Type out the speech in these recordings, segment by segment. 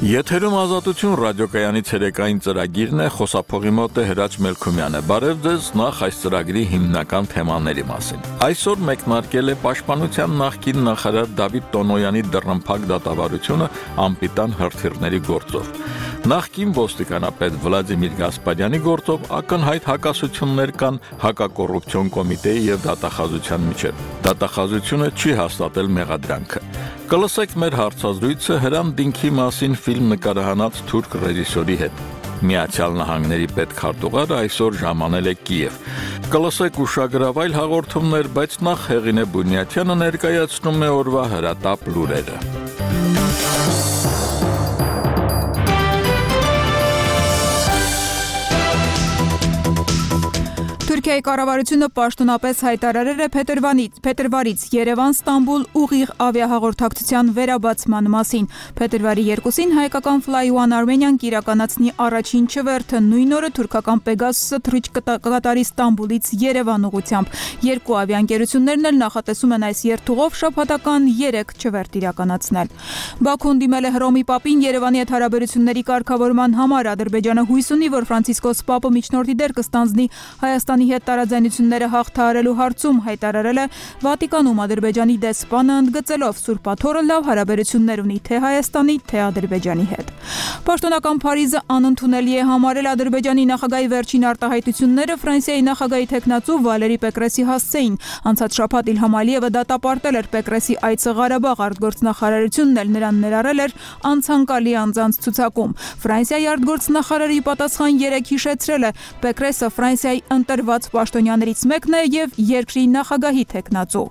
Եթերում ազատություն ռադիոկայանի ցերեկային ծրագիրն է, խոսափողի մոտ է Հրաչ Մելքումյանը։ Բարև ձեզ, նախ այս ծրագրի հիմնական թեմաների մասին։ Այսօր մեկնարկել է Պաշտպանության նախկին նախարար Դավիթ Տոնոյանի դռնփակ դատավարությունը անպիտան հրթիռների գործով։ Նախկին ոստիկանապետ Վլադիմիր Գասպարյանի գործով ակնհայտ հակասություններ կան հակակոռուպցիոն կոմիտեի եւ դատախազության միջեւ։ Դատախազությունը չի հաստատել մեղադրանքը։ Կլսեք մեր հարցազրույցը Հրան Դինքի մասին ֆիլմ նկարահանած թուրք ռեժիսորի հետ։ Միացյալ Նահանգների պետքարտուղարը այսօր ժամանել է Կիև։ Կլսեք ուշագրավ այլ հաղորդումներ, բայց նախ Հեղինե Բունյաթյանը ներկայացնում է օրվա հրատապ լուրերը։ Թուրքիայի կառավարությունը պաշտոնապես հայտարարել է փետրվարից Երևան-Ստամբուլ ուղիղ ավիահաղորդակցության վերաբացման մասին։ Փետրվարի 2-ին հայկական Fly One Armenian կիրականացնի առաջին չվերթը, նույն օրը թուրքական Pegasus-ը թռիչք կկատարի Ստամբուլից Երևան ուղղությամբ։ Երկու ավիաընկերություններն էլ նախատեսում են այս երթուղով շաբաթական 3 չվերթ իրականացնել։ Բաքուն դիմել է Հռոմի Պապին Երևանի հետ հարաբերությունների կարգավորման համար։ Ադրբեջանը հույս ունի, որ Ֆրանցիսկոս Պապը միջնորդի դեր կստանձնի Հայաստանի հետ տարաձայնությունները հաղթահարելու հարցում, հայտարարել է Վատիկանում Ադրբեջանի դեսպանը, ընդգծելով Սուրբ Աթոռը լավ հարաբերություններ ունի թե Հայաստանի, թե Ադրբեջանի հետ։ Պաշտոնական Փարիզը անընդունելի է համարել Ադրբեջանի նախագահի վերջին արտահայտությունները Ֆրանսիայի նախագահի թեկնածու Վալերի Պեկրեսի հասցեին։ Անցած շաբաթ Իլհամ Ալիևը դատապարտել էր Պեկրեսի այցը Ղարաբաղ, արտգործնախարարությունն էլ նրան ներառել էր անցանկալի անձանց ցուցակում։ Ֆրանսիայի արտգործնախարարի պատասխան 3 հիշեցրել է Պեկրեսը Ֆրանսիայի ընտրված պաշտոնյաներից մեկն է եւ երկրի նախագահի թեկնածու։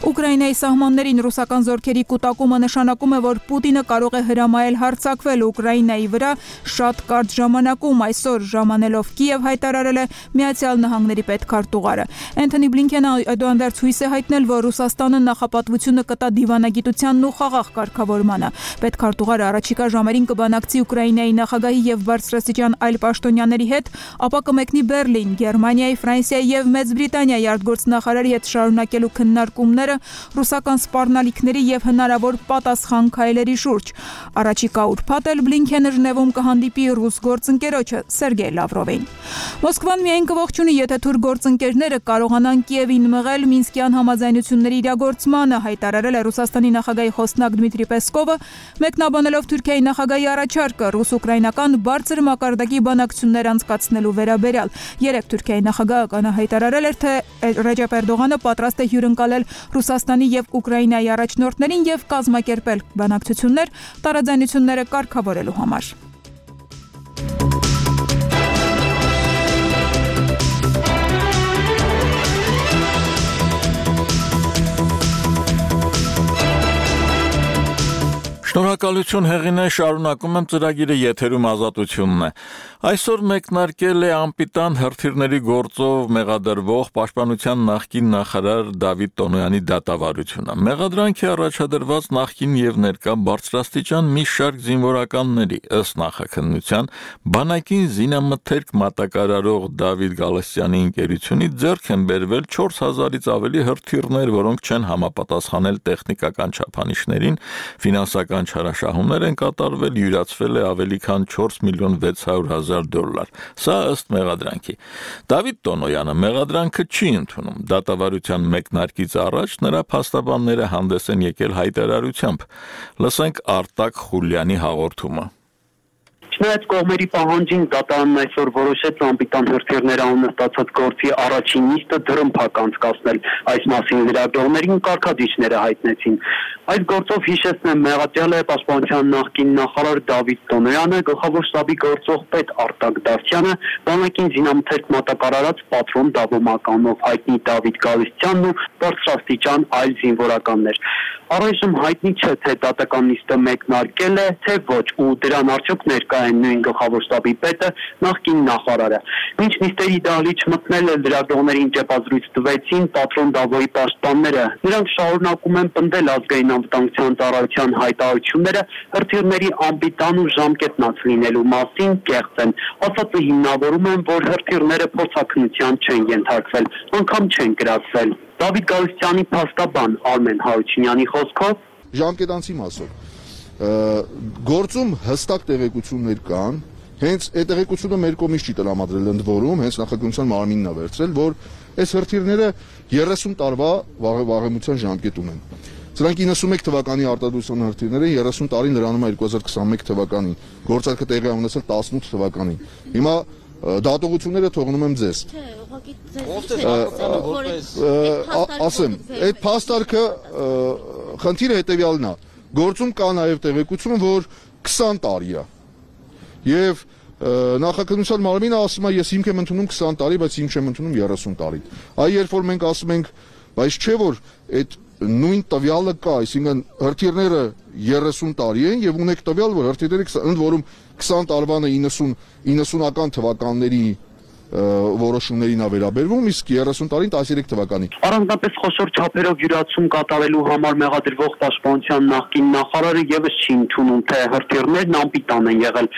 Ուկրաինայի սահմաններին ռուսական զորքերի կուտակումը նշանակում է, որ Պուտինը կարող է հրամայել հարձակվել Ուկրաինայի վրա շատ կարճ ժամանակում։ Այսօր ժամանելով Կիև հայտարարել է Միացյալ Նահանգների պետքարտուղարը։ Անթոնի Բլինքենը այդուհանդերձ հույս է հայտնել, որ Ռուսաստանը նախապատվությունը կտա դիվանագիտությանն ու խաղաղ կարգավորմանը։ Պետքարտուղարը առաջիկա ժամերին կբանակցի Ուկրաինայի նախագահի եւ բարձրաստիճան այլ պաշտոնյաների հետ, ապա կմեկնի Բերլին, Գերմանիայի, Ֆրանսիայի եւ Մեծ Բրիտանիայի արտգործնախարարի հետ շարունակելու քննարկումները ռուսական սպառնալիքների եւ հնարավոր պատասխան քայլերի շուրջ։ Առաջիկա ուրբաթ էլ Բլինքենը Ժնևում կհանդիպի ռուս գործընկերոջը Սերգեյ Լավրովին։ Մոսկվան միայն կողջունի, եթե թուրք գործընկերները կարողանան Կիևին մղել Մինսկյան համաձայնությունների իրագործմանը, հայտարարել է Ռուսաստանի նախագահի խոսնակ Դմիտրի Պեսկովը, մեկնաբանելով Թուրքիայի նախագահի առաջարկը ռուս-ուկրաինական բարձր մակարդակի բանակցություններ անցկացնելու վերաբերյալ։ Երեք Թուրքիայի նախագահը հայտարարել էր, թե Ռեջեփ Էրդողանը պատրաստ է հյուրընկալել Ռուսաստանի եւ Ուկրաինայի առաջնորդներին եւ կազմակերպել բանակցություններ տարաձայնությունները կարգավորելու համար։ Շնորհակալություն Հեղինե, շարունակում եմ ծրագիրը, եթերում ազատությունն է։ Այսօր մեկնարկել է անպիտան հրթիռների գործով մեղադրվող Պաշտպանության նախկին նախարար Դավիթ Տոնոյանի դատավարությունը։ Մեղադրանքի առաջադրված նախկին եւ ներկա բարձրաստիճան մի շարք զինվորականների ըստ նախաքննության բանակին զինամթերք մատակարարող Դավիթ Գալստյանի ընկերությունից ձեռք են բերվել 4000-ից ավելի հրթիռներ, որոնք չեն համապատասխանել տեխնիկական չափանիշներին, ֆինանսական չարաշահումներ են կատարվել, յուրացվել է ավելի քան 4 միլիոն 600 հազար դոլար։ Սա ըստ մեղադրանքի։ Դավիթ Տոնոյանը մեղադրանքը չի ընդունում։ Դատավարության մեկնարկից առաջ նրա փաստաբանները հանդես են եկել հայտարարությամբ։ Լսենք Արտակ Խուլյանի հաղորդումը։ Չնայած կողմերի պահանջին դատարանն այսօր որոշեց անպիտան հրթիռներ անունը ստացած գործի առաջին նիստը դռնփակ անցկացնել։ Այս մասին լրագրողներին կարգադիչները հայտնեցին։ Այս գործով հիշեցնեմ, մեղադրյալ է Պաշտպանության նախկին նախարար Դավիթ Տոնոյանը, գլխավոր շտաբի գործող պետ Արտակ Դավթյանը, բանակին զինամթերք մատակարարած պատրոն Դավոմականով հայտնի Դավիթ Գալստյանն ու բարձրաստիճան այլ զինվորականներ։ Առայժմ հայտնի չէ, թե դատական նիստը մեկնարկել է, թե ոչ, ու դրան արդյոք ներկա են նույն գլխավոր շտաբի պետը, նախկին նախարարը։ Մինչ նիստերի դահլիճ մտնել լրագրողներին ճեպազրույց տվեցին պատրոն Դավոյի պաշտպանները։ Նրանք շարունակում են պնդել ազգային անվտանգության ծառայության հայտարարությունները հրթիռների անպիտան ու ժամկետնած լինելու մասին կեղծ են։ Ասածը հիմնավորում են, որ հրթիռները փորձաքննության չեն ենթարկվել, անգամ չեն կրակվել։ Դավիթ Գալստյանի փաստաբան Արմեն Հարությունյանի խոսքով ժամկետանցի մասով գործում հստակ տեղեկություններ կան, հենց այդ տեղեկությունը մեր կողմից չի տրամադրել ընդ որում, հենց նախագահության մարմինն է վերցրել, որ այս հրթիռները 30 տարվա վաղեմության ժամկետ ունեն։ Սրանք 91 թվականի արտադրության հրթիռները 30 տարին լրանում է 2021 թվականին, գործարքը տեղի է ունեցել 18 թվականին։ Հիմա դատողությունները թողնում եմ ձեզ։ Ասեմ, այդ փաստարկը խնդիրը հետևյալն է։ Գործում կա նաև տեղեկություն, որ 20 տարի է։ Եվ նախաքննության մարմինը ասում է, ես հիմք եմ ընդունում 20 տարի, բայց հիմք չեմ ընդունում 30 տարի։ Այ երբ որ մենք ասում ենք, բայց չէ որ այդ նույն տվյալը կա, այսինքն հրթիռները 30 տարի են եւ ունեք տվյալ, որ հրթիռները ընդ որում 20 տարվանը 90-ական թվականների որոշումներին է վերաբերվում, իսկ 30 տարին 13 թվականի։ Առանձնապես խոշոր չափերով յուրացում կատարելու համար մեղադրվող պաշտպանության նախկին նախարարը եւս չի ընդունում, թե հրթիռներն անպիտան են եղել։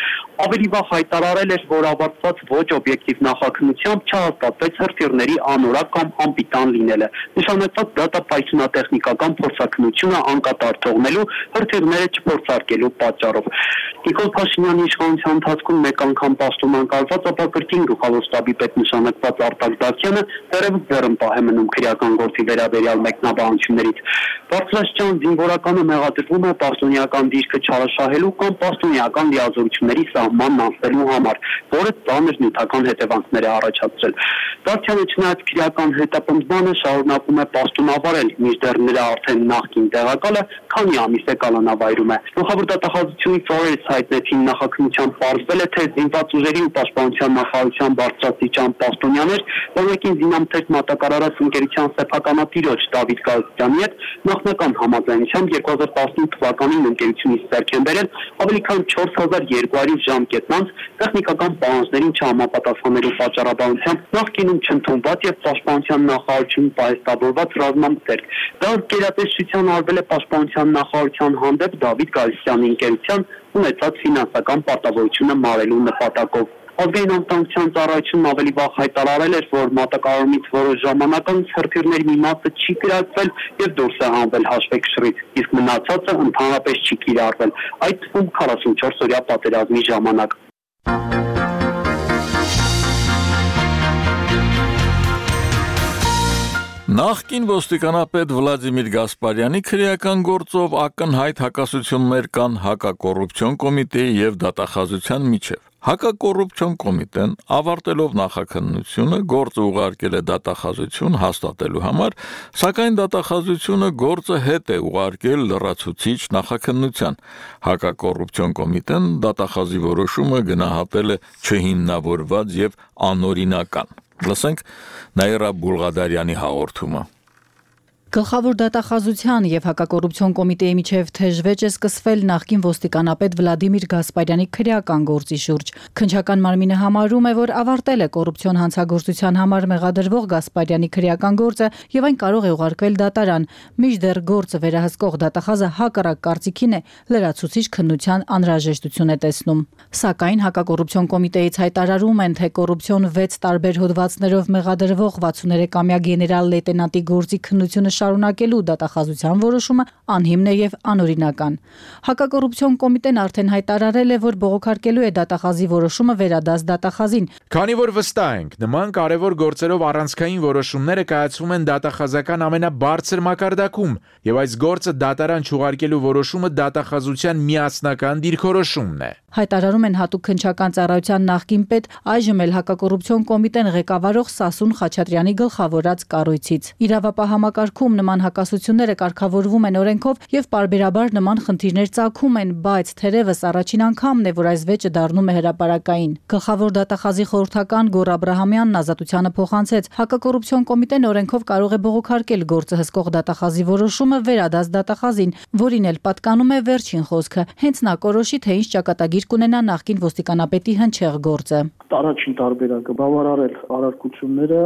Ավելի վաղ հայտարարել էր, որ ավարտված ոչ օբյեկտիվ նախաքննությամբ չհաստատվեց հրթիռների անորակ կամ անպիտան լինելը։ Նշանակված դատապայթունատեխնիկական փորձաքննությունը անկատար թողնելու, հրթիռները չփորձարկելու պատճառով։ Նիկոլ Փաշինյանի իշխանության ընթացքում մեկ անգամ պաշտոն անկալված, ապա կրկին գլխավոր շտաբի պետ նշանակված Արտակ Դավթյանը դեռևս ձեռնպահ է մնում քրեական գործի վերաբերյալ մեկնաբանություններից։ Բարձրաստիճան զինվորականը մեղադրվում է պաշտոնեական դիրքը չարաշահելու կամ պաշտոնեական լիազորությունների սահմանն անցնելու համար, որը ծանր նյութական հետևանքներ է առաջացրել։ Դավթյանը չնայած քրեական հետապնդմանը շարունակում է պաշտոնավարել, մինչդեռ նրա արդեն նախկին տեղակալը քանի ամիս է կալանավայրում է։ Գլխավոր դատախազությունից օրերս հայտնեցին նախաքննության պարզվել է, թե զինված ուժերի ու պաշտպանության նախարարության բարձրաստիճան պաշտոնյաներ, որոնքին զինամթերք մատակարարած ընկերության սեփականատիրոջ Դավիթ Գալստյանի հետ նախնական համաձայնությամբ 2015 թվականին ընկերությունից ձեռք են բերել ավելի քան 4200 ժամկետ անց տեխնիկական պահանջներին չհամապատասխանելու պատճառաբանությամբ նախկինում չընդունված եւ պաշտպանության նախարարությունում պահեստավորված ռազմամթերք։ Դա գերատեսչության արվել է պաշտպանության նախարարության հանդեպ Դավիթ Գալստյանի ընկերության ունեցած ֆինանսական պարտավորությունը մարելու նպատակով։ Ազգային անվտանգության ծառայությունն ավելի վաղ հայտարարել էր, որ մատակարարումից որոշ ժամանակ անց հրթիռների մի մասը չի կիրառվել եւ դուրս է հանվել հաշվեկշռից, իսկ մնացածը ընդհանրապես չի կիրառվել, այդ թվում 44-օրյա պատերազմի ժամանակ։ Նախկին ոստիկանապետ Վլադիմիր Գասպարյանի քրեական գործով ակնհայտ հակասություններ կան հակակոռուպցիոն կոմիտեի եւ դատախազության միջև։ Հակակոռուպցիոն կոմիտեն ավարտելով նախաքննությունը գործը ուղարկել է դատախազություն հաստատելու համար, սակայն դատախազությունը գործը հետ է ուղարկել լրացուցիչ նախաքննության։ Հակակոռուպցիոն կոմիտեն դատախազի որոշումը գնահատել է չհիմնավորված եւ անօրինական։ Լսենք Նաիրա Բուլղադարյանի հաղորդումը։ Գլխավոր դատախազության եւ հակակոռուպցիոն կոմիտեի միջև թեժվեճ է սկսվել նախկին ոստիկանապետ Վլադիմիր Գասպարյանի քրեական գործի շուրջ։ Քննչական մարմինը համարում է, որ ավարտել է կոռուպցիոն հանցագործության համար մեղադրվող Գասպարյանի քրեական գործը եւ այն կարող է ուղարկվել դատարան, մինչդեռ գործը վերահսկող դատախազը հակառակ կարծիքին է, լրացուցիչ քննության անհրաժեշտություն է տեսնում։ Սակայն հակակոռուպցիոն կոմիտեից հայտարարում են, թե կոռուպցիոն 6 տարբեր հոդվածներով մեղադրվող 63-ամյա գեներալ լեյտենանտի գործի քննությունը շարունակելու դատախազության որոշումը անհիմն է եւ անօրինական։ Հակակոռուպցիոն կոմիտեն արդեն հայտարարել է, որ բողոքարկելու է դատախազի որոշումը վերադաս դատախազին։ Քանի որ վստահ ենք, նման կարևոր գործերով առանցքային որոշումները կայացվում են դատախազական ամենաբարձր մակարդակում, եւ այս գործը դատարան չուղարկելու որոշումը դատախազության միասնական դիրքորոշումն է։ Հայտարարում են հատուկ քննչական ծառայության նախկին պետ, այժմ էլ հակակոռուպցիոն կոմիտեն ղեկավարող Սասուն Խաչատրյանի գլխավորած կառույցից։ Իրավապահ համակարգում նման հակասությունները կարգավորվում են օրենքով եւ պարբերաբար նման խնդիրներ ծագում են, բայց թերևս առաջին անգամն է, որ այս վեճը դառնում է հրապարակային։ Գլխավոր դատախազի խորհրդական Գոռ Աբրահամյանն ազատությանը փոխանցեց, հակակոռուպցիոն կոմիտեն օրենքով կարող է բողոքարկել գործը հսկող դատախազի որոշումը վերադաս դատախազին, որին էլ պատկանում է վերջին խոսքը, հենց նա կորոշի, թե ինչ ճակատագիր կունենա նախկին ոստիկանապետի հնչեղ գործը։ Առաջին տարբերակը բավարարել առարկությունները,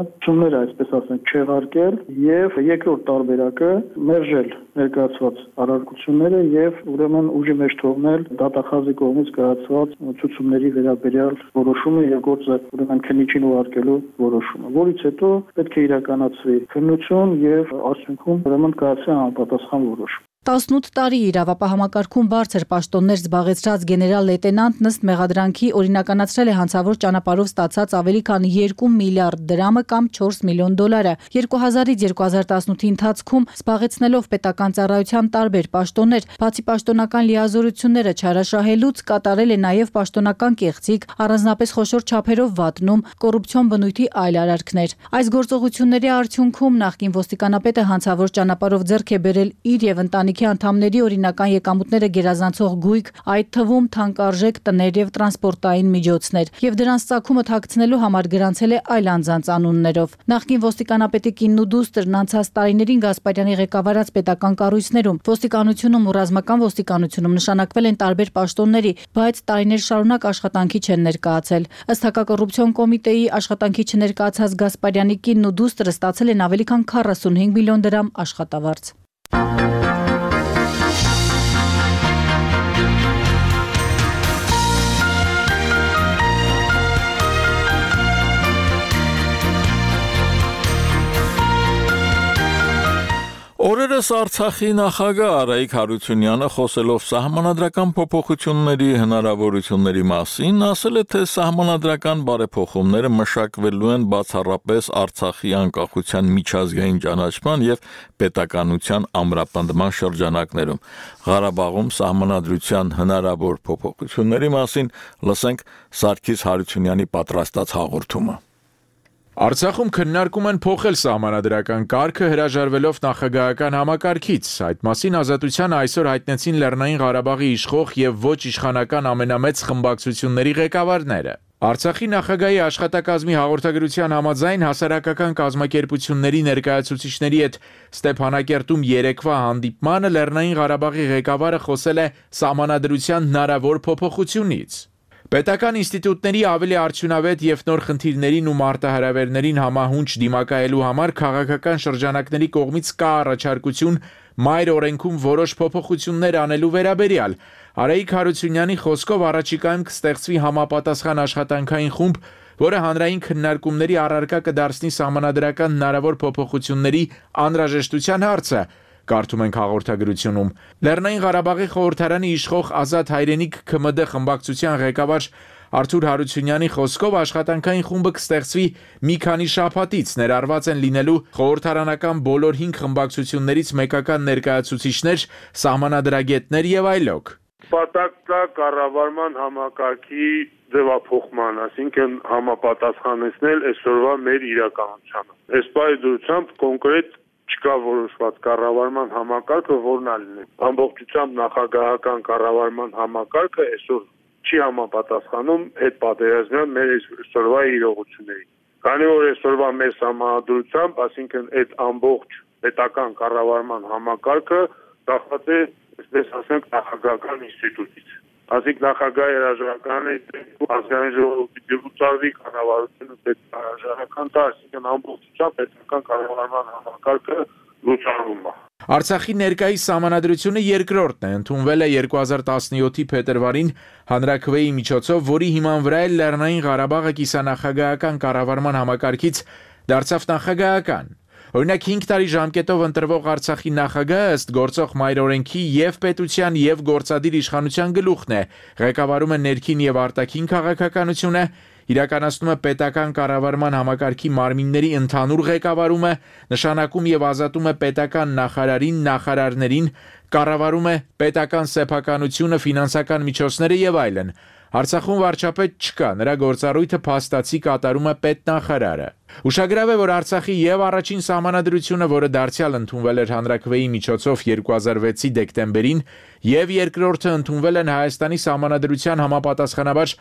այսպես ասենք, չեղարկել եւ երկրորդ տարբերակը մերժել ներկայացված առարկությունները եւ ուրեմն ուժի մեջ թողնել դատախազի կողմից կայացված ցուցումների վերաբերյալ որոշումը եւ գործը ուրեմն քննիչին ուղարկելու որոշումը, որից հետո պետք է իրականացվի քննություն եւ արդյունքում ուրեմն կայացվի համապատասխան որոշում։ 18 տարի իրավապահ բարձր պաշտոններ զբաղեցրած գեներալ լեյտենանտ ըստ մեղադրանքի օրինականացրել է հանցավոր ճանապարհով ստացած ավելի քան 2 միլիարդ դրամը կամ 4 միլիոն դոլարը։ 2000-ից 2018-ի ընթացքում զբաղեցնելով պետական ծառայության տարբեր պաշտոններ, բացի պաշտոնական լիազորությունները չարաշահելուց, կատարել է նաև պաշտոնական կեղծիք, առանձնապես խոշոր չափերով վատնում, կոռուպցիոն բնույթի այլ արարքներ։ Այս գործողությունների արդյունքում նախկին ոստիկանապետը հանցավոր ճանապարհով ձեռք է բերել իր եւ ընտանիքի անդամների օրինական եկամուտները գերազանցող գույք, այդ թվում թանկարժեք տներ եւ տրանսպորտային միջոցներ, եւ դրանց ծագումը թաքցնելու համար գրանցել է այլ անձանց անուններով։ Նախկին ոստիկանապետի կինն ու դուստրն անցած տարիներին Գասպարյանի ղեկավարած պետական կառույցներում, ոստիկանությունում ու ռազմական ոստիկանությունում նշանակվել են տարբեր պաշտոնների, բայց տարիներ շարունակ աշխատանքի չեն ներկայացել։ Ըստ հակակոռուպցիոն կոմիտեի աշխատանքի չներկայացած Գասպարյանի կինն ու դուստրը ստացել են ավելի քան 45 միլիոն դրամ աշխատավարձ։ Օրերս Արցախի նախագահ Արայիկ Հարությունյանը խոսելով սահմանադրական փոփոխությունների հնարավորությունների մասին ասել է, թե սահմանադրական բարեփոխումները մշակվելու են բացառապես Արցախի անկախության միջազգային ճանաչման եւ պետականության ամրապնդման շրջանակներում։ Ղարաբաղում սահմանադրության հնարավոր փոփոխությունների մասին լսենք Սարգիս Հարությունյանի պատրաստած հաղորդումը։ Արցախում քննարկում են փոխել սահմանադրական կարգը հրաժարվելով նախագահական համակարգից։ Այդ մասին Ազատության այսօր հայտնեցին Լեռնային Ղարաբաղի իշխող եւ ոչ իշխանական ամենամեծ խմբակցությունների ղեկավարները։ Արցախի նախագահի աշխատակազմի հաղորդագրության համաձայն հասարակական կազմակերպությունների ներկայացուցիչների հետ Ստեփանակերտում երեկվա հանդիպմանը Լեռնային Ղարաբաղի ղեկավարը խոսել է սահմանադրության հնարավոր փոփոխությունից։ Պետական ինստիտուտների ավելի արդյունավետ եւ նոր խնդիրներին ու մարտահրավերներին համահունչ դիմակայելու համար քաղաքական շրջանակների կողմից կա առաջարկություն մայր օրենքում որոշ փոփոխություններ անելու վերաբերյալ։ Արայիկ Հարությունյանի խոսքով առաջիկայում կստեղծվի համապատասխան աշխատանքային խումբ, որը հանրային քննարկումների առարկա կդարձնի սահմանադրական հնարավոր փոփոխությունների անհրաժեշտության հարցը։ Կարդում ենք հաղորդագրությունում։ Լեռնային Ղարաբաղի խորհրդարանի իշխող Ազատ հայրենիք ՔՄԴ խմբակցության ղեկավար Արթուր Հարությունյանի խոսքով աշխատանքային խումբը կստեղծվի մի քանի շաբաթից, ներառված են լինելու խորհրդարանական բոլոր 5 խմբակցություններից մեկական ներկայացուցիչներ, սահմանադրագետներ եւ այլոք։ Պատակտա կառավարման համակարգի ձևափոխման, այսինքն համապատասխանեցնել այսօրվա մեր իրականությանը։ Այս պայմանությամբ կոնկրետ չկա որոշված կառավարման համակարգը, որն ալինի։ Ամբողջությամբ նախագահական կառավարման համակարգը այսօր չի համապատասխանում այդ պատերազմյան մեր այսօրվա իրողություններին։ Քանի որ այսօրվա մեր համանդրությամբ, այսինքն այդ ամբողջ պետական կառավարման համակարգը կախված է, այսպես ասենք, նախագահական ինստիտուտից։ Այսինքն նախագահի հրաժարականը ազգային ժողովի դեպուտատի կառավարությունը պետք է հրաժարական տա, այսինքն ամբողջությամբ պետական կառավարման համակարգը լուծարվում է։ Արցախի ներկայիս սահմանադրությունը երկրորդն է, ընդունվել է 2017-ի փետրվարին հանրաքվեի միջոցով, որի հիման վրա էլ Լեռնային Ղարաբաղը կիսանախագահական կառավարման համակարգից դարձավ նախագահական։ Օրինակ 5 տարի ժամկետով ընտրվող Արցախի նախագահը ըստ գործող մայրօրենքի եւ պետության եւ գործադիր իշխանության գլուխն է, ղեկավարում է ներքին եւ արտաքին քաղաքականությունը, իրականացնում է պետական կառավարման համակարգի մարմինների ընդհանուր ղեկավարումը, նշանակում եւ ազատում է պետական նախարարին, նախարարներին, կառավարում է պետական սեփականությունը, ֆինանսական միջոցները եւ այլն։ Արցախում վարչապետ չկա, նրա գործառույթը փաստացի կատարում է պետնախարարը։ Ուշագրավ է, որ Արցախի եւ առաջին սահմանադրությունը, որը դարձյալ ընդունվել էր հանրաքվեի միջոցով 2006-ի դեկտեմբերին, եւ երկրորդը ընդունվել են Հայաստանի սահմանադրության համապատասխանաբար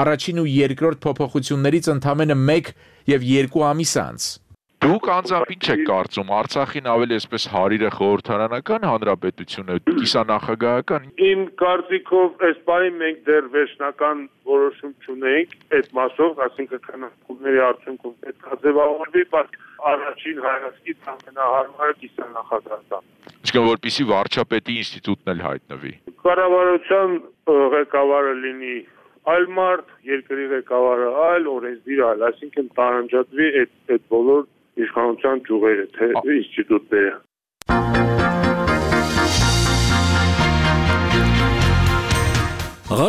առաջին ու երկրորդ փոփոխություններից ընդամենը 1 եւ 2 ամիս անց։ Դուք անձամբ ինչ եք կարծում, Արցախին ավելի այսպես հարիրը խորհրդարանական հանրապետությունը, կիսանախագահական։ Իմ կարծիքով այս պահին մենք դեռ վերջնական որոշում չունենք այդ մասով, այսինքն քննարկումների արդյունքում պետք է ձևավորվի, բայց առաջին հայացքից ամենահարմարը կիսանախագահական։ Իսկ որպեսզի վարչապետի ինստիտուտն էլ հայտնվի։ Կառավարության ղեկավարը լինի այլ մարդ, երկրի ղեկավարը այլ, օրենսդիր այլ, այսինքն տարանջատվի այդ բոլոր իշխանության ճյուղերը, թե ինստիտուտները։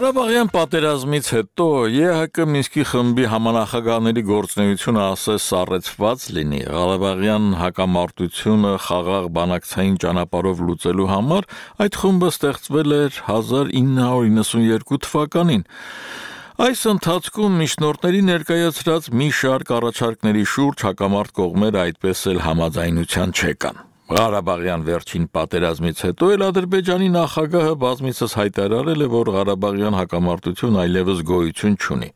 Ղարաբաղյան պատերազմից հետո ԵՀԿ Մինսկի խմբի համանախագահների գործունեությունը ասես սառեցված լինի, Ղարաբաղյան հակամարտությունը խաղաղ բանակցային ճանապարհով լուծելու համար այդ խումբը ստեղծվել էր 1992 թվականին։ Այս ընթացքում միջնորդների ներկայացրած մի շարք առաջարկների շուրջ հակամարտ կողմերը այդպես էլ համաձայնության չեկան։ Ղարաբաղյան վերջին պատերազմից հետո էլ Ադրբեջանի նախագահը բազմիցս հայտարարել է, որ Ղարաբաղյան հակամարտություն այլևս գոյություն չունի։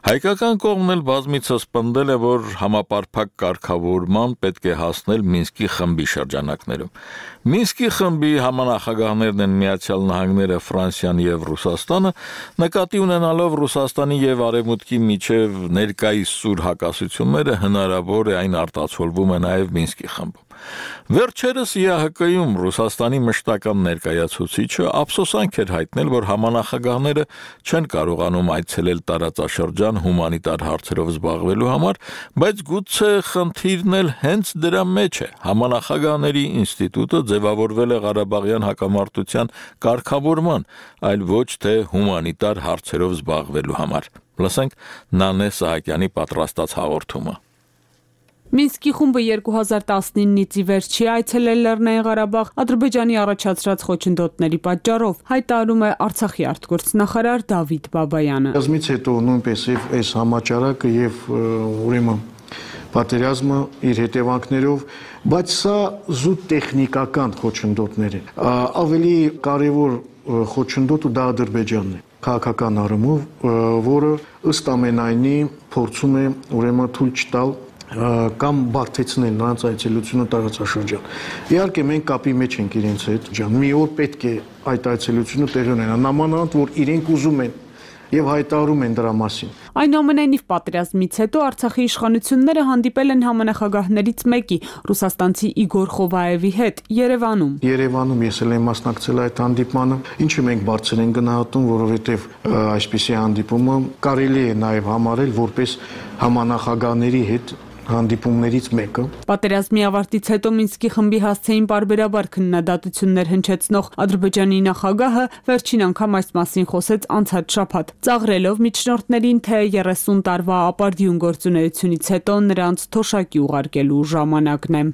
Հայկական կողմն էլ բազմիցս պնդել է, որ համապարփակ կարգավորման պետք է հասնել Մինսկի խմբի շրջանակներում։ Մինսկի խմբի համանախագահներն են Միացյալ Նահանգները, Ֆրանսիան եւ Ռուսաստանը, նկատի ունենալով Ռուսաստանի եւ Արևմուտքի միջև ներկայիս սուր հակասությունները հնարավոր է այն արտացոլվում է նաեւ Մինսկի խմբում։ Վերջերս ԵՀԿ-ում Ռուսաստանի մշտական ներկայացուցիչը ափսոսանք էր հայտնել, որ համանախագահները չեն կարողանում այցելել տարածաշրջան հումանիտար հարցերով զբաղվելու համար, բայց գուցե խնդիրն էլ հենց դրա մեջ է։ Համանախագահների ինստիտուտը ձևավորվել է Ղարաբաղյան հակամարտության կարգավորման, այլ ոչ թե հումանիտար հարցերով զբաղվելու համար։ Լսենք Նանե Սահակյանի պատրաստած հաղորդումը։ Մինսկի խումբը 2019-ից ի վեր չի այցելել Լեռնային Ղարաբաղ Ադրբեջանի առաջացրած խոչընդոտների պատճառով, հայտարարում է Արցախի արտգործնախարար Դավիթ Բաբայանը։ Պատերազմից հետո նույնպես այս համաճարակը եւ ուրեմն պատերազմը իր հետևանքներով, բայց սա զուտ տեխնիկական խոչընդոտներ են։ Ավելի կարևոր խոչընդոտը դա Ադրբեջանն է, քաղաքական առումով, որը ըստ ամենայնի փորձում է ուրեմն թույլ չտալ կամ բարդեցնել նրանց այցելությունը տարածաշրջան։ Իհարկե մենք կապի մեջ ենք իրենց հետ, մի օր պետք է այդ այցելությունը տեղի ունենա, նամանավանդ որ իրենք ուզում են եւ հայտարարում են դրա մասին։ Այնուամենայնիվ պատերազմից հետո Արցախի իշխանությունները հանդիպել են համանախագահներից մեկի, ռուսաստանցի Իգոր Խովայևի հետ Երևանում։ Երևանում ես էլ եմ մասնակցել այդ հանդիպմանը, ինչը մենք բարձր ենք գնահատում, որովհետեւ այսպիսի հանդիպումը կարելի է նաեւ համարել որպես համանախագահների հետ հանդիպումներից մեկը։ Պատերազմի ավարտից հետո Մինսկի խմբի հասցեին պարբերաբար քննադատություններ հնչեցնող Ադրբեջանի նախագահը վերջին անգամ այս մասին խոսեց անցած շաբաթ, ծաղրելով միջնորդներին, թե 30 տարվա ապարդյուն գործունեությունից հետո նրանց թոշակի ուղարկելու ժամանակն է։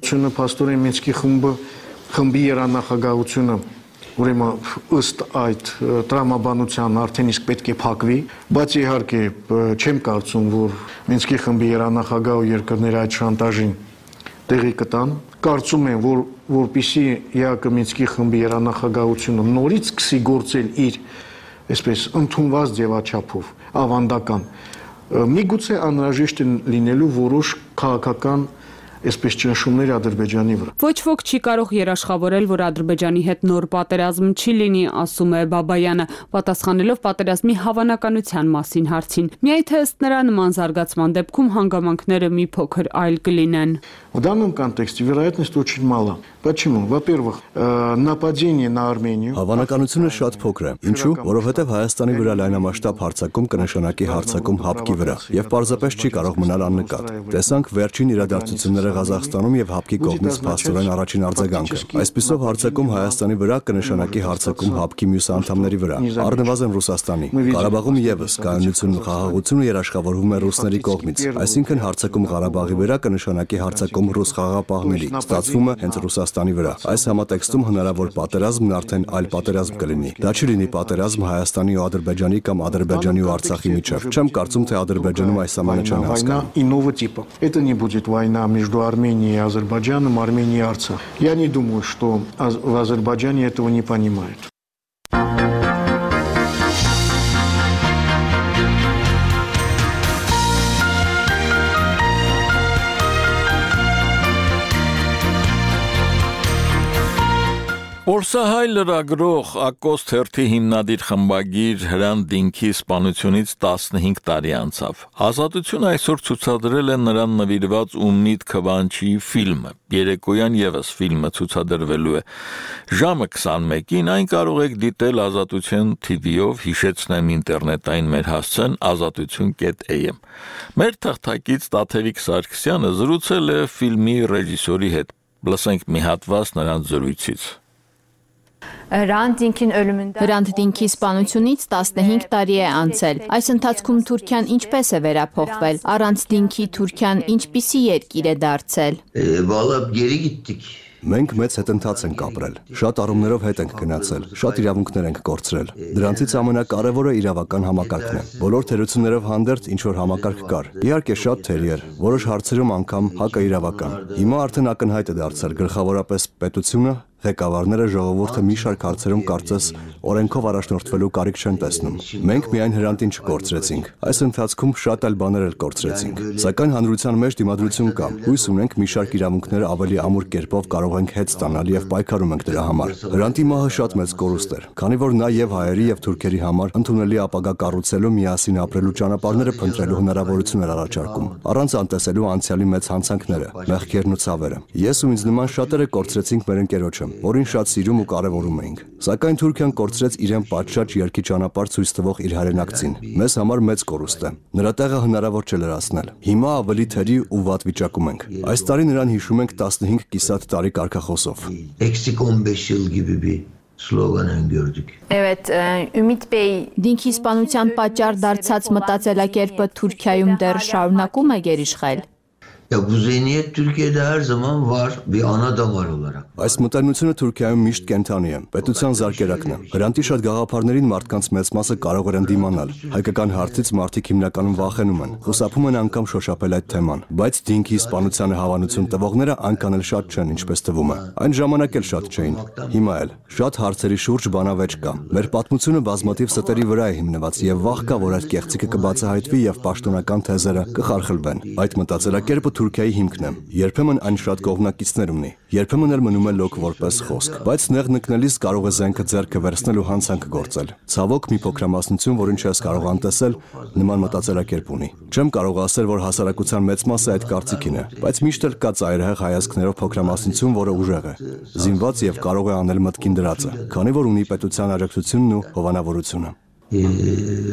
Փաստորեն Մինսկի խմբի երանախագահությունը ուրեմն ըստ այդ տրամաբանության արդեն իսկ պետք է փակվի, բայց իհարկե չեմ կարծում, որ Մինսկի խմբի երանախագահ ու երկրները այդ շանտաժին տեղի կտան։ Կարծում եմ, որ որպեսզի ԵԱԿ Մինսկի խմբի երանախագահությունը նորից սկսի գործել իր այսպես ընդունված ձևաչափով, ավանդական, միգուցե անհրաժեշտ է լինելու որոշ քաղաքական այսպես ճնշումներ Ադրբեջանի վրա։ Ոչ ոք չի կարող երաշխավորել, որ Ադրբեջանի հետ նոր պատերազմ չի լինի, ասում է Բաբայանը, պատասխանելով պատերազմի հավանականության մասին հարցին։ Միայն թե ըստ նրա նման զարգացման դեպքում հանգամանքները մի փոքր այլ կլինեն։ В данном контексте вероятность очень мала. Почему? Во-первых, нападение на Армению. Հավանականությունը շատ փոքր է։ Ինչու՞? Որովհետև Հայաստանի վրա լայնամասշտաբ հարձակում կնշանակի հարձակում ՀԱՊԿ-ի վրա եւ պարզապես չի կարող մնալ աննկատ։ Տեսանք վերջին իրադարձությունները Ղազախստանում եւ ՀԱՊԿ-ի կողմից փաստորեն առաջին արձագանքը։ Այսպիսով հարձակում Հայաստանի վրա կնշանակի հարձակում ՀԱՊԿ-ի մյուս անդամների վրա, առնվազն Ռուսաստանի։ Ղարաբաղում եւս կայունությունն ու խաղաղությունը երաշխավորվում է ռուսների կողմից, այսինքն հարձակում Ղարաբաղի վրա կնշանակի հարձակում ռուս խաղաղապահների, ստացվում է հենց Ռուսաստանի վրա։ Այս համատեքստում հնարավոր պատերազմն արդեն այլ պատերազմ կլինի։ Դա չի լինի պատերազմ Հայաստանի ու Ադրբեջանի կամ Ադրբեջանի ու Արցախի միջև։ Չեմ կարծում, թե Ադրբեջանում այս ամենը չեն հասկանում։ Это не будет война между Арменией и Азербайджаном, Арменией и Арцах. Я не думаю, что в Азербайджане этого не понимают. Օրսահայ լրագրող Ակոս թերթի հիմնադիր խմբագիր Հրանտ Դինքի սպանությունից 15 տարի անցավ։ Ազատություն այսօր ցուցադրել է նրան նվիրված Ումնիդ Քվանչի ֆիլմը։ Երեկոյան եւս ֆիլմը ցուցադրվելու է։ Ժամը 21-ին այն կարող եք դիտել Ազատություն TV-ով, հիշեցնեմ ինտերնետային մեր հասցեն azatutun.am։ Մեր թղթակից Տաթևիկ Սարգսյանը զրուցել է ֆիլմի ռեժիսորի հետ։ Լսենք մի հատված նրանց զրույցից։ Հրանտ Դինքի սպանությունից 15 տարի է անցել։ Այս ընթացքում Թուրքիան ինչպես է վերափոխվել։ Առանց Դինքի Թուրքիան ինչպիսի երկիր է դարձել։ Մենք մեծ հետընթաց ենք ապրել, շատ առումներով հետ ենք գնացել, շատ իրավունքներ ենք կորցրել։ Դրանցից ամենակարևորը իրավական համակարգն է։ Բոլոր թերություններով հանդերձ ինչ որ համակարգ կար։ Իհարկե շատ թերի էր, որոշ հարցերում անգամ հակաիրավական։ Հիմա արդեն ակնհայտ է դարձել գլխավորապես պետությունը, ղեկավարները ժողովուրդը մի շարք հարցերում կարծես օրենքով առաջնորդվելու կարիք չեն տեսնում։ Մենք միայն Հրանտին չկորցրեցինք, այս ընթացքում շատ այլ բաներ էլ կորցրեցինք։ Սակայն հանրության մեջ դիմադրություն կա։ Հույս ունենք մի շարք իրավունքները ավելի ամուր կերպով կարող ենք հետ ստանալ եւ պայքարում ենք դրա համար։ Հրանտի մահը շատ մեծ կորուստ էր, քանի որ նա եւ հայերի եւ թուրքերի համար ընդունելի ապագա կառուցելու, միասին ապրելու ճանապարհները փնտրելու հնարավորություն էր առաջարկում, առանց անտեսելու անցյալի մեծ հանցանքները, մեղքերն ու ցավերը։ Ես ու ինձ նման շատերը կորցրեցինք մեր ընկերոջը, որին շատ սիրում ու կարևորում էինք։ Սակայն Թուրքիան կորցրեց իրեն պատշաճ երկի ճանապարհ ցույց տվող իր հայրենակցին։ Մեզ համար մեծ կորուստ է։ Նրա տեղը հնարավոր չէ լրացնել։ Հիմա ավելի թերի ու վատ վիճակում ենք։ Այս տարի նրան հիշում ենք 15 կիսատ տարի կարգախոսով։ Դինքի սպանության պատճառ դարձած մտածելակերպը Թուրքիայում դեռ շարունակում է գերիշխել։ Այս մտայնությունը Թուրքիայում միշտ կենթանի է, պետության զարկերակն է։ Հրանտի շատ գաղափարներին մարդկանց մեծ մասը կարող են դիմանալ։ Հայկական հարցից մարդիկ հիմնականում վախենում են, խուսափում են անգամ շոշափել այդ թեման, բայց Դինքի սպանությանը հավանություն տվողները այնքան էլ շատ չեն, ինչպես թվում է։ Այն ժամանակ էլ շատ չէին։ Հիմա էլ շատ հարցերի շուրջ բանավեճ կա։ Մեր պատմությունը բազմաթիվ ստերի վրա է հիմնված եւ վախ կա, որ այդ կեղծիքը կբացահայտվի եւ պաշտոնական թեզերը կխարխլվեն։ Այդ մտածելակերպը Թուրքիայի հիմքն է։ Երբեմն այն շատ կողմնակիցներ ունի, երբեմն էլ մնում է լոկ որպես խոսք, բայց նեղ նկնելիս կարող է զենքը ձեռքը վերցնել ու հանցանք գործել։ Ցավոք մի փոքրամասնություն, որին չես կարող անտեսել, նման մտածելակերպ ունի։ Չեմ կարող ասել, որ հասարակության մեծ մասը այդ կարծիքին է, բայց միշտ էլ կա ծայրահեղ հայացքներով փոքրամասնություն, որը ուժեղ է, զինված եւ կարող է անել մտքին դրածը, քանի որ ունի պետության աջակցությունն ու հովանավորությունը։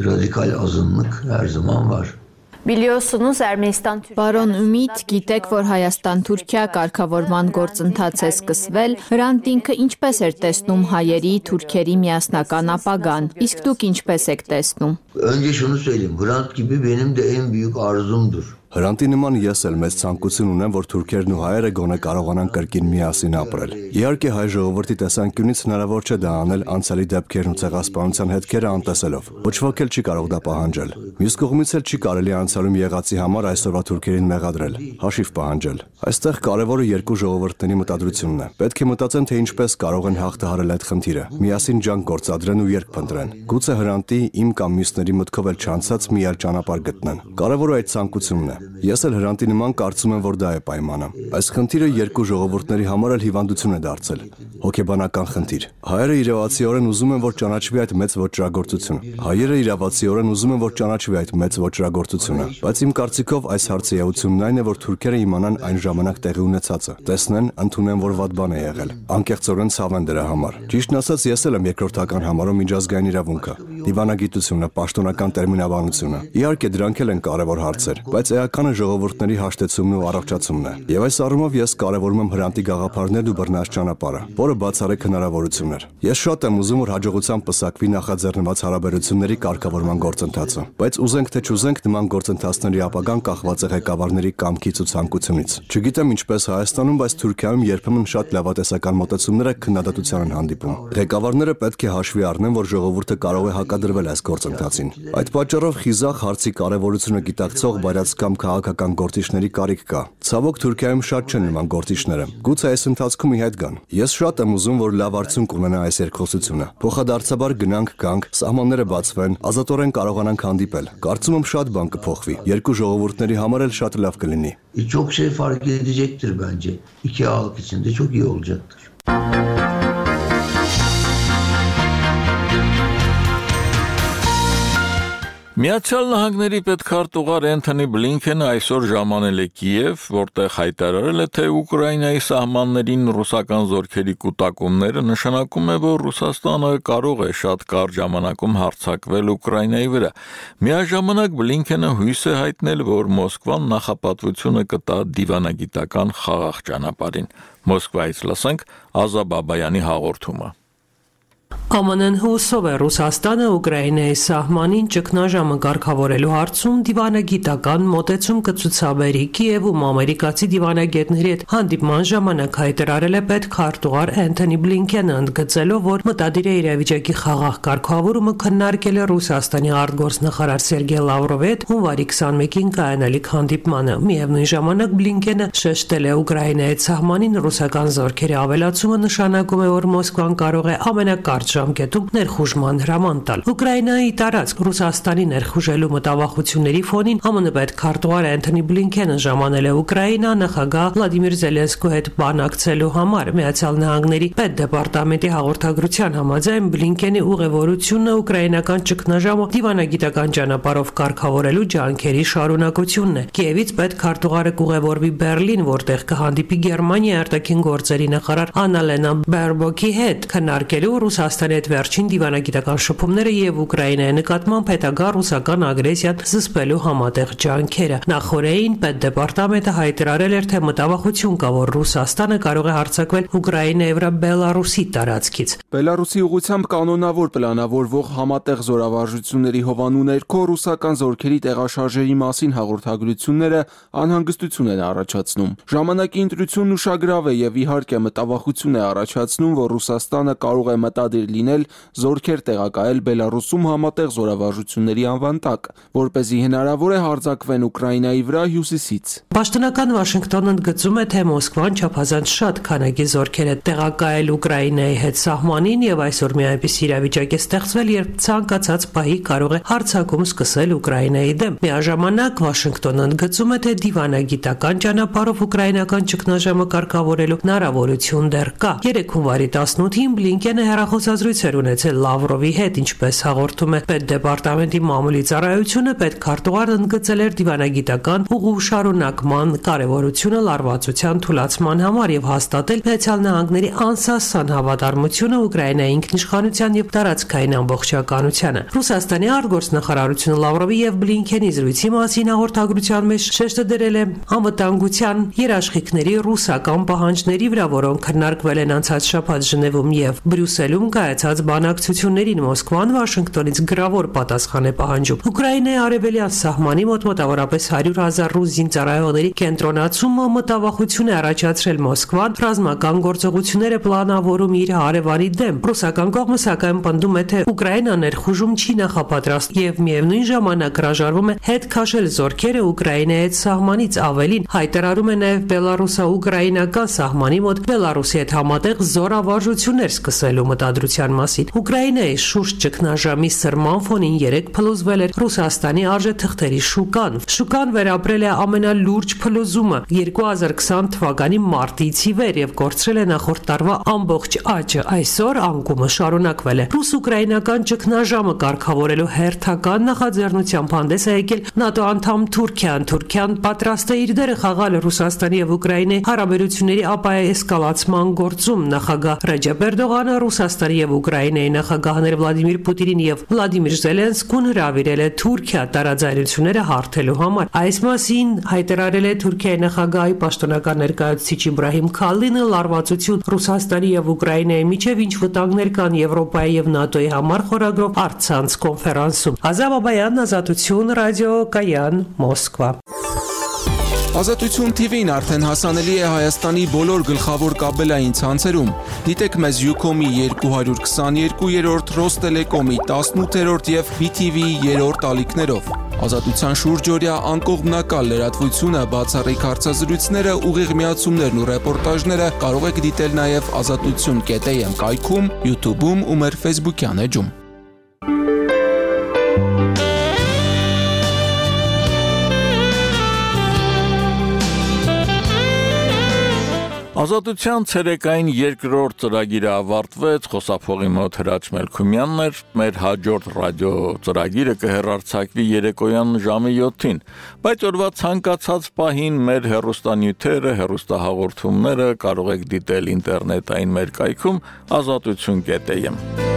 Ռադիկալ ազնվիկ her zaman var. Պարոն Ումիդ, գիտեք, որ Հայաստան-Թուրքիա կարգավորման գործընթաց է սկսվել, Հրանտ Դինքը ինչպես էր տեսնում հայերի, թուրքերի միասնական ապագան, իսկ դուք ինչպես եք տեսնում։ Önce şunu söyleyeyim, Hrant gibi benim de en büyük arzumdur. Հրանտի նման ես էլ մեծ ցանկություն ունեմ, որ թուրքերն ու հայերը գոնե կարողանան կրկին միասին ապրել։ Իհարկե հայ ժողովրդի տեսանկյունից հնարավոր չէ դա անել անցյալի դեպքերն ու ցեղասպանության հետքերը անտեսելով։ Ոչ ոք էլ չի կարող դա պահանջել։ Մյուս կողմից էլ չի կարելի անցյալում եղածի համար այսօրվա թուրքերին մեղադրել, հաշիվ պահանջել։ Այստեղ կարևորը երկու ժողովուրդների մտադրությունն է։ Պետք է մտածեն, թե ինչպես կարող են հաղթահարել այդ խնդիրը, միասին ջանք գործադրեն ու երկ փնտրեն։ Գուցե Հրանտի, իմ կամ մյուսների մտքով էլ չանցած մի այլ ճանապարհ գտնեն։ Կարևորը այդ ցանկությունն է։ Ես էլ Հրանտի նման կարծում եմ, որ դա է պայմանը։ Այս խնդիրը երկու ժողովուրդների համար էլ հիվանդություն է դարձել, հոգեբանական խնդիր։ Հայերը իրավացիորեն ուզում են, որ ճանաչվի այդ մեծ ոճրագործությունը։ Հայերը իրավացիորեն ուզում են, որ ճանաչվի այդ մեծ ոճրագործությունը, բայց իմ կարծիքով այս հարցի էությունն այն է, որ թուրքերը իմանան այն ժամանակ տեղի ունեցածը, տեսնեն, ընդունեն, որ վատ բան է եղել, անկեղծորեն ցավեն դրա համար։ Ճիշտն ասած, ես էլ եմ երկրորդական համարում միջազգային իրավունքը, դիվանագիտությունը, պաշտոնական տերմինաբանությունը։ Իհարկե դրանք էլ են կարևոր հարցեր, բայց էականը ժողովուրդների հաշտեցումն ու առողջացումն է։ Եվ այս առումով ես կարևորում եմ Հրանտի գաղափարներն ու բռնած ճանապարհը, որը բացառիկ հնարավորություն էր։ Ես շատ եմ ուզում, որ հաջողությամբ պսակվի նախաձեռնված հարաբերությունների կարգավորման գործընթացը, բայց ուզենք թե չուզենք նման գործընթացների ապագան կախված է ղեկավարների կամքից ու ցանկությունից։ Չգիտեմ ինչպես Հայաստանում, բայց Թուրքիայում երբեմն շատ լավատեսական մոտեցումները քննադատության են հանդիպում։ Ղեկավարները պետք է հաշվի առնեն, որ ժողովուրդը կարող է հակադրվել այս գործընթացին։ Այդ պատճառով խիզախ հարցի կարևորությունը գիտակցող բայրած կամ քաղաքական գործիչների կարիք կա։ Ցավոք Թուրքիայում շատ չեն նման գործիչները։ Գուցե այս ընթացքում իհետ գան։ Ես շատ եմ ուզում, որ լավ արդյունք ունենա այս երկխոսությունը։ Փոխադարձաբար գնանք, գանք, սահմանները բացվեն, ազատորեն կարողանանք հանդիպել։ Կարծում եմ շատ բան կփոխվի։ Երկու ժողովուրդների համար էլ շատ լավ կլինի։ Çok şey fark edecektir bence. İki halk için de çok iyi olacaktır. Միացյալ Նահանգների պետքարտուղար Էնթոնի Բլինքենը այսօր ժամանել է Կիև, որտեղ հայտարարել է, թե Ուկրաինայի սահմաններին ռուսական զորքերի կուտակումները նշանակում է, որ Ռուսաստանը կարող է շատ կարճ ժամանակում հարձակվել Ուկրաինայի վրա։ Միաժամանակ Բլինքենը հույս է հայտնել, որ Մոսկվան նախապատվությունը կտա դիվանագիտական խաղաղ ճանապարհին։ Մոսկվայից լսենք Ազա Բաբայանի հաղորդումը։ ԱՄՆ-ն հուսով է Ռուսաստանը Ուկրաինայի սահմանին ճգնաժամը կարգավորելու հարցում դիվանագիտական մոտեցում կցուցաբերի Կիևում ամերիկացի դիվանագետների հետ հանդիպման ժամանակ հայտարարել է պետքարտուղար Էնթոնի Բլինքենը, ընդգծելով, որ մտադիր է իրավիճակի խաղաղ կարգավորումը քննարկել է Ռուսաստանի արտգործնախարար Սերգեյ Լավրովի հետ հունվարի 21-ին կայանալիք հանդիպմանը։ Միևնույն ժամանակ Բլինքենը շեշտել է Ուկրաինայի սահմանին ռուսական զորքերի ավելացումը նշանակում է, որ Մոսկվան կարող է ամենակարճ ժամկետում ներխուժման հրաման տալ։ Ուկրաինայի տարածք Ռուսաստանի ներխուժելու մտավախությունների ֆոնին ԱՄՆ պետքարտուղար Էնթոնի Բլինքենը ժամանել է Ուկրաինա նախագահ Վլադիմիր Զելենսկու հետ բանակցելու համար։ Միացյալ Նահանգների պետդեպարտամենտի հաղորդագրության համաձայն Բլինքենի ուղևորությունը ուկրաինական ճգնաժամը դիվանագիտական ճանապարհով կարգավորելու ջանքերի շարունակությունն է։ Կիևից պետքարտուղարը կուղևորվի Բերլին, որտեղ կհանդիպի Գերմանիայի արտաքին գործերի նախարար Աննալենա Բերբոկի հետ, քննարկելու Ռուսաստանի հետ վերջին դիվանագիտական շփումները եւ Ուկրաինայի նկատմամբ հետագա ռուսական ագրեսիան զսպելու համատեղ ջանքերը։ Նախորդին պետդեպարտամենտը հայտարարել էր, թե մտավախություն կա, որ Ռուսաստանը կարող է հարձակվել Ուկրաինայի վրա Բելարուսի տարածքից։ Բելարուսի ուղղությամբ կանոնավոր պլանավորվող համատեղ զորավարժությունների հովանու ներքո ռուսական զորքերի տեղաշարժերի մասին հաղորդագրությունները անհանգստություն են առաջացնում։ Ժամանակի ընտրությունն ուշագրավ է եւ իհարկե մտավախություն է առաջացնում, որ Ռուսաստանը կարող է մտադիր լինել զորքեր տեղակայել Բելարուսում համատեղ զորավարժությունների անվան տակ, որպեսզի հնարավոր է հարձակվեն Ուկրաինայի վրա հյուսիսից։ Պաշտոնական Վաշինգտոնն ընդգծում է, թե Մոսկվան չափազանց շատ քանակի զորքեր է տեղակայել Ուկրաինայի հետ սահմանին եւ այսօր մի այնպիսի իրավիճակ է ստեղծվել, երբ ցանկացած պահի կարող է հարձակում սկսել Ուկրաինայի դեմ։ Միաժամանակ Վաշինգտոնն ընդգծում է, թե դիվանագիտական ճանապարհով ուկրաինական ճգնաժամը կարգավորելու հնարավորություն դեռ կա։ 3 հունվարի 18-ին Բլինքենը հեռախոսազրույց էր ունեցել Լավրովի հետ, ինչպես հաղորդում է պետդեպարտամենտի մամուլի ծառայությունը, պետքարտուղարն ընդգծել էր դիվանագիտական ուղու շարունակման կարևորությունը լարվածության թուլացման համար եւ հաստատել Միացյալ Նահանգների անսասան հավատարմությունը Ուկրաինայի ինքնիշխանության եւ տարածքային ամբողջականությանը։ Ռուսաստանի արտգործնախարարությունը Լավրովի եւ Բլինքենի զրույցի մասին հաղորդագրության մեջ շեշտը դրել է անվտանգության երաշխիքների ռուսական պահանջների վրա, որոնք քննարկվել են անցած շաբաթ Ժնևում եւ Բրյուսելում կայացած բանակցություններին։ Մոսկվան Վաշինգտոնից գրավոր պատասխան է պահանջում։ Ուկրաինայի արևելյան սահմանի մոտ մոտավորապես 100,000 ռուս զինծառայողների կենտրոնացումը մտավախություն է առաջացրել Մոսկվան ռազմական գործողությունները պլանավորում իր հարևանի դեմ։ Ռուսական կողմը սակայն պնդում է, թե Ուկրաինան ներխուժում չի նախապատրաստ եւ միևնույն ժամանակ հրաժարվում է հետ քաշել զորքերը Ուկրաինայի հետ սահմանից, ավելին հայտարարում է նաեւ բելարուսա-ուկրաինական սահմանի մոտ Բելարուսի հետ համատեղ զորավարժություններ սկսելու մտադրության մասին։ Ուկրաինայի շուրջ ճգնաժամի սրման ֆոնին 3 փլուզվել էր Ռուսաստանի արժեթղթերի շուկան։ Շուկան վերապրել է ամենալուրջ փլուզումը 2020 թվականի մարտից ի վեր եւ կորցրել է նախորդ տարվա ամբողջ աճը։ Այսօր անկումը շարունակվել է։ Ռուս-ուկրաինական ճգնաժամը կարգավորելու հերթական նախաձեռնությամբ հանդես է եկել ՆԱՏՕ անդամ Թուրքիան։ Թուրքիան պատրաստ է իր դերը խաղալ Ռուսաստանի եւ Ուկրաինայի հարաբերությունների ապաեսկալացման գործում։ Նախագահ Ռեջեփ Էրդողանը Ռուսաստանի եւ Ուկրաինայի նախագահներ Վլադիմիր Պուտինին եւ Վլադիմիր Զելենսկուն հրավիրել է Թուրքիա տարաձայնությունները հարթելու համար։ Այս մասին հայտարարել է Թուրքիայի նախագահի պաշտոնական ներկայացուցիչ Իբրահիմ Քալինը լարվածություն Ռուսաստանի եւ Ուկրաինայի միջև ինչ վտանգներ կան Եվրոպայի եւ ՆԱՏՕ-ի համար խորագրով առցանց կոնֆերանսում։ Ազատ Բաբայան, Ազատություն, ռադիո Կայան, Մոսկվա։ Ազատություն TV-ն արդեն հասանելի է Հայաստանի բոլոր գլխավոր կաբելային ցանցերում։ Դիտեք մեզ Ucom-ի 222-րդ, Ռոստելեկոմի 18-րդ եւ BTV-ի 3-րդ ալիքներով։ Ազատության շուրջօրյա անկողմնակալ լրատվությունը, բացառիկ հարցազրույցները, ուղիղ միացումներն ու ռեպորտաժները կարող եք դիտել նաեւ azatutun.am կայքում, YouTube-ում ու մեր Facebook-յան էջում։ Ազատության ցերեկային երկրորդ ծրագիրը ավարտվեց, խոսափողի մոտ Հրաչ Մելքումյանն էր, մեր հաջորդ ռադիո ծրագիրը կհեռարձակվի երեկոյան ժամը 7-ին, բայց օրվա ցանկացած պահին մեր հեռուստանյութերը, հեռուստահաղորդումները կարող եք դիտել ինտերնետային մեր կայքում azatutun.am